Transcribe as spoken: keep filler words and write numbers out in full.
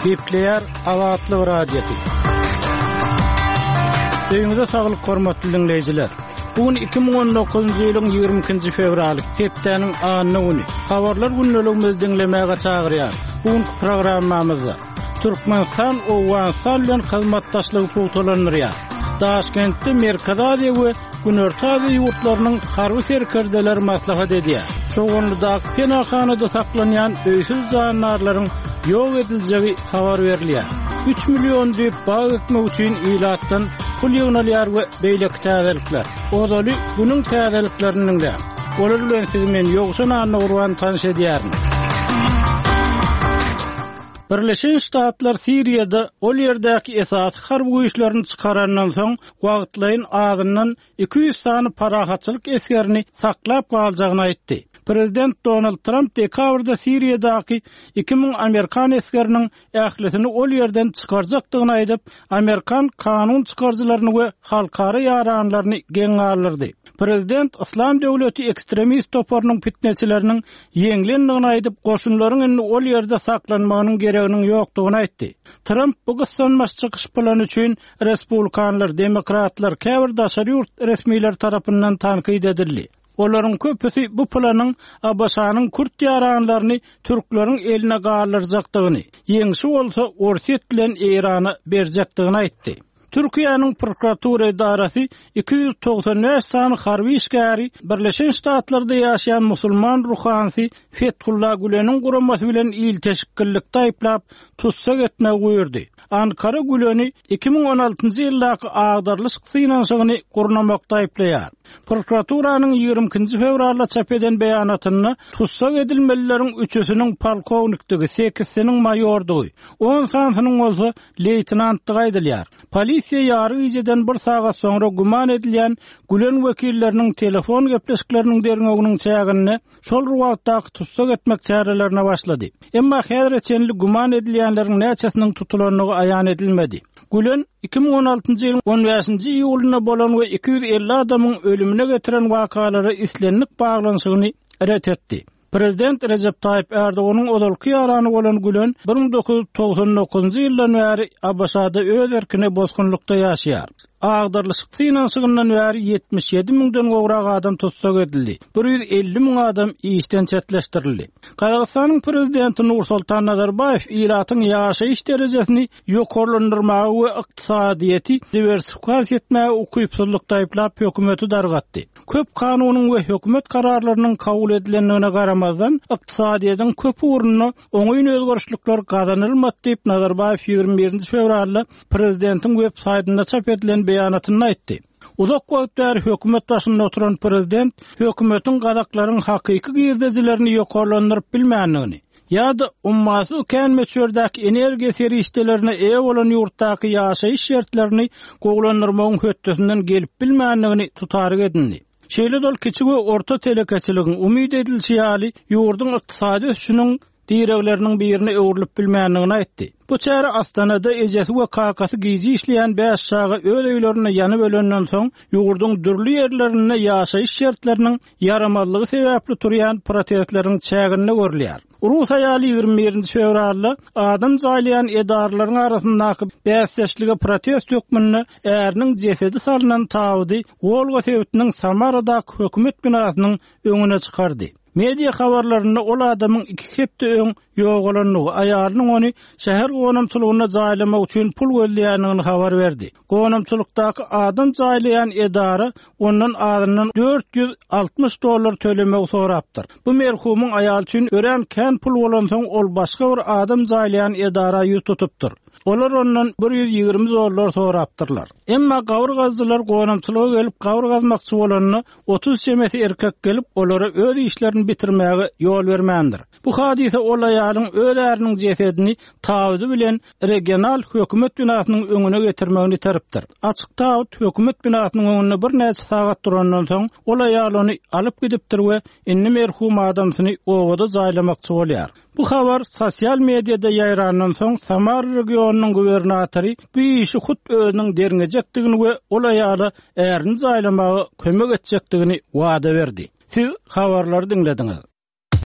Gepleýär Azatlyk Radiosy. Öýüňize saglyk hormatly dinleýjiler. Bu gün iki müň on dokuzynjy ýylyň ýigrimi ikinji fewraly, hepdäniň anna güni. Habarlar gündeligimizi diňlemäge çagyrýar. Bu günkü programmamyzda Türkmenistan Owganystan bilen hyzmatdaşlygy pugtalandyrýar. Daşkentde Merkezi Aziýa we Günorta Aziýa ýurtlarynyň harby serkerdeleri maslahat edýär. Çoganlydaky penahanada saklanýan öýsüz jandarlaryň ýok ediljegi habar berilýär. Üç million düýp bag ekmek üçin ilatdan pul ýygnalýar we beýleki täzelikler. Ozaly günüň täzeliklerini diňläň. Olar bilen sizi men Ýowşan Annagurban tanyş edýärin. Birleşen Ştatlar Siriýada ol ýerdäki esasy harby güýçlerini çykarandan soň wagtlaýyn azyndan iki ýüz sany parahatçylyk esgerini saklap galjagyny aýtdy. Prezident Donald Trump dekabrda Siriýadaky iki müň Amerikan esgeriniň ählisini ol ýerden çykarjakdygyny aýdyp, Amerikan kanun çykaryjylaryny we halkara ýaranlaryny geň galdyrdy. Prezident Islam döwleti ekstremist toparynyň fitneçileriniň ýeňlendigini aýdyp, goşunlaryň indi ol ýerde saklanmagynyň gereginiň ýokdugyny aýtdy. Trump bu gyssanmaç çykyş plany üçin respublikanlar, demokratlar, käbir daşary ýurt resmiler tarapyndan tankyt edildi. Olaryň köpüsi bu planyň A B Ş-nyň kürt ýaranlaryny türkleriň eline galdyrjakdygyny, ýeňşi bolsa Orsýet bilen Eýrana berjekdigini aýtdy. Türkiýäniň prokuratura edarasy iki ýüz togsan bäş sany harby işgäri Birleşen Ştatlarda ýaşaýan musulman ruhanysy Fethullah Güleniň guramasy bilen ilteşiklilikde aýyplap tussag etmegi buýurdy. Ankara Güleni iki müň on altynjy ýyldaky agdarlyşyk synanyşygyny gurnamakda aýyplaýar. Prokuraturanyň ýigrimi ikinji fewralda çap eden beýanatynda tussag edilmelileriň üçüsiniň polkownikdigi, sekizsiniň maýordygy, on sanysynyň bolsa leýtenantdygy aýdylýar. Polisiýa ýary gijeden bir sagat soňra güman edilýän Gülen wekilleriniň telefon gepleşikleriniň derňewiniň çäginde şol wagtdaky tussag etmek çärelerine başlady. Emma häzire çenli güman edilýänleriň näçesiniň tutulandygy aýan edilmedi. Gülen iki müň on altynjy ýylyň on bäşinji iýulynda bolan we iki ýüz elli adamyň ölümine getiren wakalara islendik baglanyşygyny ret etdi. Prezident Recep Tayyip Erdoganyň ozalky ýarany bolan Gülen bir müň dokuz ýüz togsan dokuzynjy ýyldan bäri A B Ş-da öz erkine bosgunlykda ýaşaýar. Agdarlyşyk synanyşygyndan bäri ýetmiş ýedi müňden gowrak adam tussag edildi. bir ýüz elli müň adam işden çetleşdirildi. Gazagystanyň prezidenti Nursultan Nazarbaýew ilatyň ýaşaýyş derejesini ýokarlandyrmaga we ykdysadyýeti diwersifikasiýa etmäge ukypsyzlykda aýyplap hökümeti dargatdy. Köp kanunyň we hökümet kararlarynyň kabul edilendigine garamazdan ykdysadyýetiň köp ugrunda oňyn özgerişlikler gazanylmady diýip Nazarbaýew ýigrimi birinji fewralda prezidentiň web saýtynda çap edilen beýanatynda aýtdy. Uzak wagt bäri hökümet başynda oturan prezident hökümetiň gazaklaryň hakyky girdejilerini ýokarlandyryp bilmändigini ýa-da ummasyz kän möçberdäki energiýa serişdelerine eýe bolan ýurtdaky ýaşaýyş şertlerini gowulandyrmagyň hötdesinden gelip bilmändigini tutaryk edindi. Şeýle dol kiçi we orta telekeçiligiň umyt edilişi ýaly ýurduň ykdysady ösüşiniň diregleriniň birine öwrülip bilmändigini aýtdy. Bu çäre Astanada ejesi we kakasy gije işleýän bäş çaga öz öýlerinde ýanyp ölenden soň ýurduň dürli ýerlerinde ýaşaýyş şertleriniň ýaramazlygy sebäpli turýan protestleriň çäginde görülýär. Rus aýaly ýigrimi birinji fewralda adam jaýlaýan edaralaryň arasyndaky bäsdeşlige protest hökmünde äriniň jesedi salynan tabydy Wolga sebitiniň Samaradaky hökümet binasynyň öňüne çykardy. Media habarlarynda ol adamyň iki hepde öň ýogalandygy, aýalynyň ony şäher gonamçylygynda jaýlamak üçin pul gözleýändigini habar berdi. Gonamçylykdaky adam jaýlaýan edara ondan azyndan dört ýüz altmyş dollar tölemegi sorapdyr. Bu merhumyň aýaly üçin örän kän pul bolansoň ol başga bir adam jaýlaýan edara ýüz tutupdyr. Olar ondan bir ýüz ýigrimi dollar sorapdyrlar. Emma gawur gazdylar gonamçylyga gelip gawur gazmakçy bolanda otuz çemesi erkek gelip olara öz işlerini bitirmäge ýol bermändir. Bu hadise ol aýalyň öz äriniň jesedini tabydy bilen regional hökümet binasynyň öňüne getirmegini teripdir. Açyk tabyt hökümet binasynyň öňünde birnäçe sagat durandan soň ol aýal ony alyp gidipdir we indi merhum adamsyny obada jaýlamakçy bolýar. Bu habar sosial mediada ýaýrandan soň Samara regionynyň gubernatory bu işi hut özüniň derňejekdigini we ol aýala ärini jaýlamaga kömek etjekdigini wada berdi. Siz habarlary diňlediňiz.